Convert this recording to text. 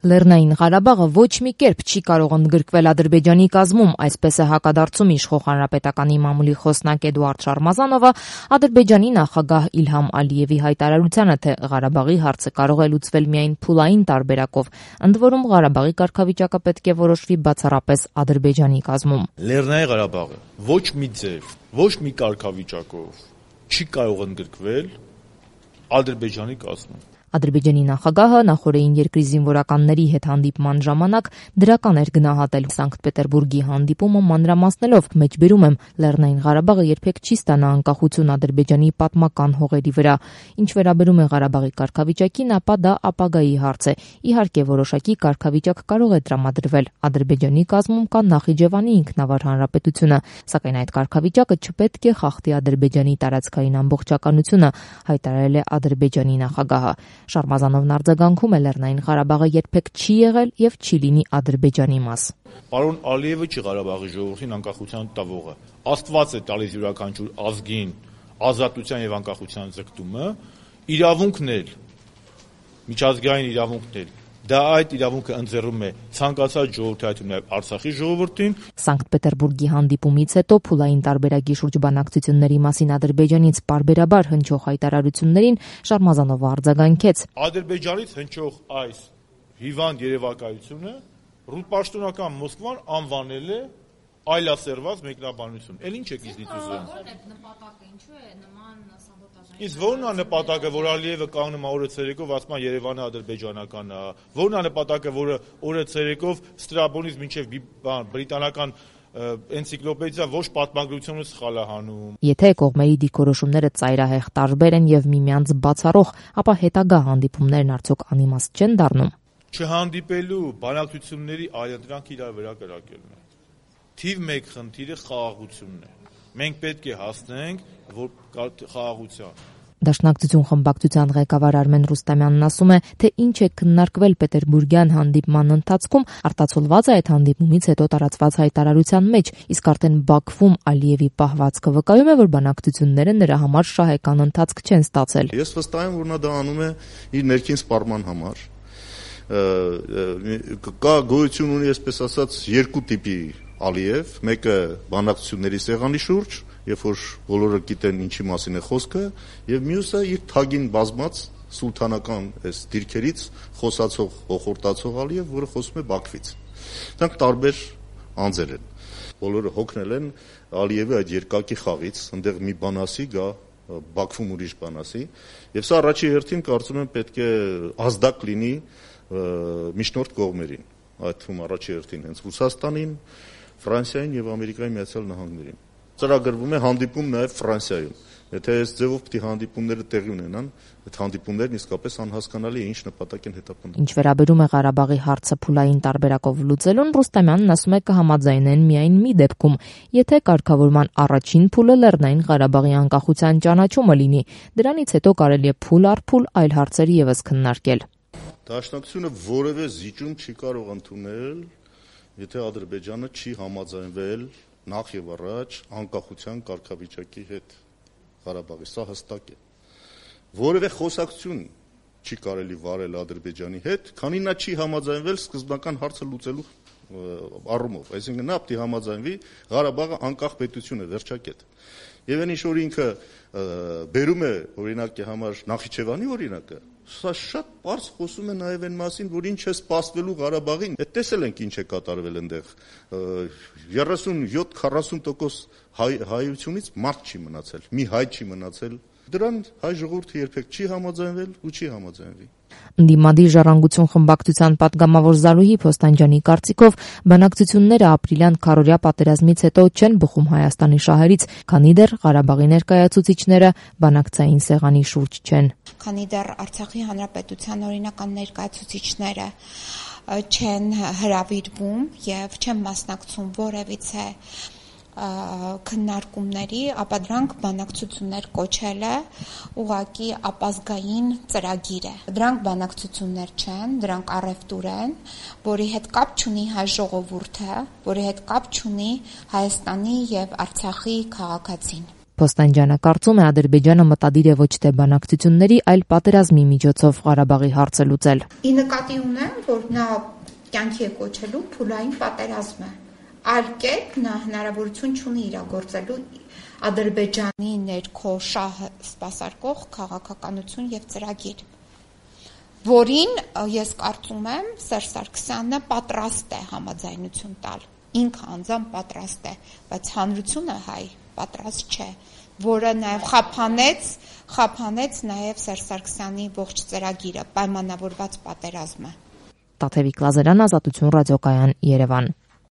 Լեռնային Ղարաբաղը ոչ մի կերպ չի կարող ընդգրկվել Ադրբեջանի կազմում, այսպես է հակադարձում իշխող հանրապետականի մամուլի խոսնակ Էդուարդ Շարմազանովը Ադրբեջանի նախագահ Իլհամ Ալիևի հայտարարությանը, թե Ղարաբաղի հարցը կարող է լուծվել միայն փուլային տարբերակով, ընդ որում Ղարաբաղի կարգավիճակը պետք է որոշվի բացառապես Ադրբեջանի կազմում։ Լեռնային Ղարաբաղը ոչ մի ձև, ոչ մի կարգավիճակով չի կարող ընդգրկվել Ադրբեջանի կազմում։ Ադրբեջանի նախագահը նախորդին երկրի զինվորականների հետ հանդիպման ժամանակ դրական էր գնահատել Սանկտ Պետերբուրգի հանդիպումը, մանրամասնելով, մեջբերում եմ, Լեռնային Ղարաբաղը երբեք չի ստանա անկախություն Ադրբեջանի պատմական հողերի վրա։ Ինչ վերաբերում է Ղարաբաղի կարգավիճակին, ապա դա ապագայի հարց է։ Իհարկե, որոշակի կարգավիճակ կարող է տրամադրվել։ Ադրբեջանի կազմում կա Նախիջևանի ինքնավար հանրապետությունը, սակայն այդ կարգավիճակը չպետք է խախտի Ադրբեջանի տարածքային ամբողջականությունը, հայտարարել է Ադրբեջանի նախագահը։ Շարմազանովն արձագանքում է, Լեռնային Ղարաբաղը երբեք չի եղել եւ չի լինի Ադրբեջանի մաս։ Պարոն Ալիևը չի Ղարաբաղի ժողովրդին անկախության տվողը։ Աստված է տալիս յուրաքանչյուր ազգին ազատության եւ անկախության ձգտումը, իրավունքն էլ, միջազգային իրավունքն էլ։ Դա այդ իրավունքը ընձեռում է ցանկացած ժողովրդի, նաև Արցախի ժողովրդին։ Սանկտ Պետերբուրգի հանդիպումից հետո փուլային տարբերակի շուրջ բանակցությունների մասին Ադրբեջանից պարբերաբար հնչող հայտարարություններին Շարմազանովը արձագանքեց։ Ադրբեջանից հնչող այս հիվանդ երևակայությունը ռուսպաշտոնական Մոսկվան անվանել է այլասերված մեկնաբանություն։ Էլ ինչ եք իզնից ուզում։ Նպատակը ինչու է նման սաբոտաժային։ Իսկ ո՞րն է նպատակը, որ Ալիևը կանգնում է օրը ցերեկով, ասում է Երևանը ադրբեջանական է։ Ո՞րն է նպատակը, որը օրը ցերեկով Ստրաբոնից մինչև բրիտանական էնցիկլոպեդիա ոչ պատմագրությունը սխալ է հանում։ Եթե կողմերի դիրքորոշումները ծայրահեղ տարբեր են եւ միմյանց բացառող, ապա հետագա հանդիպումներն արդյոք անիմաստ չեն դառնում։ Չհանդիպելու բանակցությունների այլընտրանք իրար վրա կրակելն է։ Թիվ 1 խնդիրը խաղաղությունն է։ Մենք պետք է հասնենք խաղաղության։ Դաշնակցություն խմբակցության ղեկավար Արմեն Ռուստամյանն ասում է, թե ինչ է քննարկվել Պետերբուրգյան հանդիպման ընթացքում, արտացոլված է այդ հանդիպումից հետո տարածված հայտարարության մեջ, իսկ արդեն Բաքվում Ալիևի պահվածքը վկայում է, որ բանակցությունները նրա համար շահեկան ընթացք չեն ստացել։ Ես վստահ եմ, որ նա դա անում է իր ներքին սպառման համար։ Կա գոյություն ունի, այսպես ասած, երկու տիպի Ալիև, մեկը բանակցությունների սեղանի շուրջ, երբ որ բոլորը գիտեն ինչի մասին է խոսքը, եւ մյուսը իր թագին բազմած սուլթանական այս դիրքերից խոսացող, հոխորտացող Ալիև, որը խոսում է Բաքվից։ Դրանք տարբեր անձեր են։ Բոլորը հոգնել են Ալիևի այդ երկակի խաղից, այնտեղ մի բան ասի, գա Բաքվում ուրիշ բան ասի, եւ սա առաջի հերթին կարծում եմ պետք է ազդակ լինի միջնորդ կողմերին, այդ թվում առաջի հերթին հենց Ռուսաստանին, Ֆրանսիային եւ Ամերիկայի Միացյալ Նահանգներին։ Ծրագրվում է հանդիպում նաև Ֆրանսիայում։ Եթե այս ձևով պիտի հանդիպումները տեղի ունենան, այդ հանդիպումներն իսկապես անհասկանալի է ինչ նպատակ են հետապնդում։ Ինչ վերաբերում է Ղարաբաղի հարցը փուլային տարբերակով լուծելուն, Ռուստամյանն ասում է կհամաձայնեն միայն մի դեպքում, եթե կարգավորման առաջին փուլը Լեռնային Ղարաբաղի անկախության ճանաչումը լինի, դրանից հետո կարելի է փուլ առ փուլ այլ հարցեր եւս քննարկել։ Դաշնակցությունը որևէ զիջում չի կարող ընդունել, եթե Ադրբեջանը չի համաձայնվել նախ եւ առաջ անկախության կարգավիճակի հետ Ղարաբաղի, սա հստակ է։ Որևէ խոսակցություն չի կարելի վարել Ադրբեջանի հետ, քանի նա չի համաձայնվել սկզբնական հարցը լուծելու առումով, այսինքն նա պետք է համաձայնվի Ղարաբաղը անկախ պետություն է, վերջակետ։ Եվ այն ինչ որ ինքը բերում է օրինակի համար Նախիջևանի օրինակը, սա շատ պարզ խոսում է նաև այն մասին, որ ինչ է սպասվելու Ղարաբաղին։ Այդ տեսել ենք ինչ է կատարվել այնտեղ 37-40% հայությունից մարդ չի մնացել, մի հայ չի մնացել։ Դրան հայ ժողովուրդը երբեք չի համաձայնվել ու չի համաձայնվի։ Ընդդիմադիր ժառանգություն խմբակցության պատգամավոր Զարուհի Փոստանջյանի կարծիքով բանակցությունները ապրիլյան քարորյա պատերազմից հետո չեն բխում Հայաստանի շահերից, քանի դեռ Ղարաբաղի ներկայացուցիչները բանակցային սեղանի շուրջ չեն։ Քանի դեռ Արցախի հանրապետության օրինական ներկայացուցիչները չեն հրավիրվում եւ չեն մասնակցում որևիցե քննարկումների, ապա դրանք բանակցություններ կոչելը ուղղակի ապազգային ծրագիր է։ Դրանք բանակցություններ չեն, դրանք առևտուր են, որի հետ կապ չունի հայ ժողովուրդը, որի հետ կապ չունի Հայաստանի եւ Արցախի քաղաքացին։ Փոստանջյանը կարծում է Ադրբեջանը մտադիր է ոչ թե բանակցությունների, այլ պատերազմի միջոցով Ղարաբաղի հարցը լուծել։ Ի նկատի ունեմ, որ նա կյանքի է կոչելու փուլային պատերազմը։ Այլ կերպ նա հնարավորություն չունի իրագործելու Ադրբեջանի ներքո շահը սպասարկող քաղաքականություն եւ ծրագիր, որին ես կարծում եմ Սերժ Սարգսյանը պատրաստ է համաձայնություն տալ։ Ինքը անձամբ պատրաստ է, բայց հանրությունը հայ պատրաստ չէ, որը նաև խափանեց նաև Սերժ Սարգսյանի ողջ ծրագիրը, պայմանավորված պատերազմը։ Տաթևիկ Լազարյան, Ազատություն ռադիոկայան, Երևան։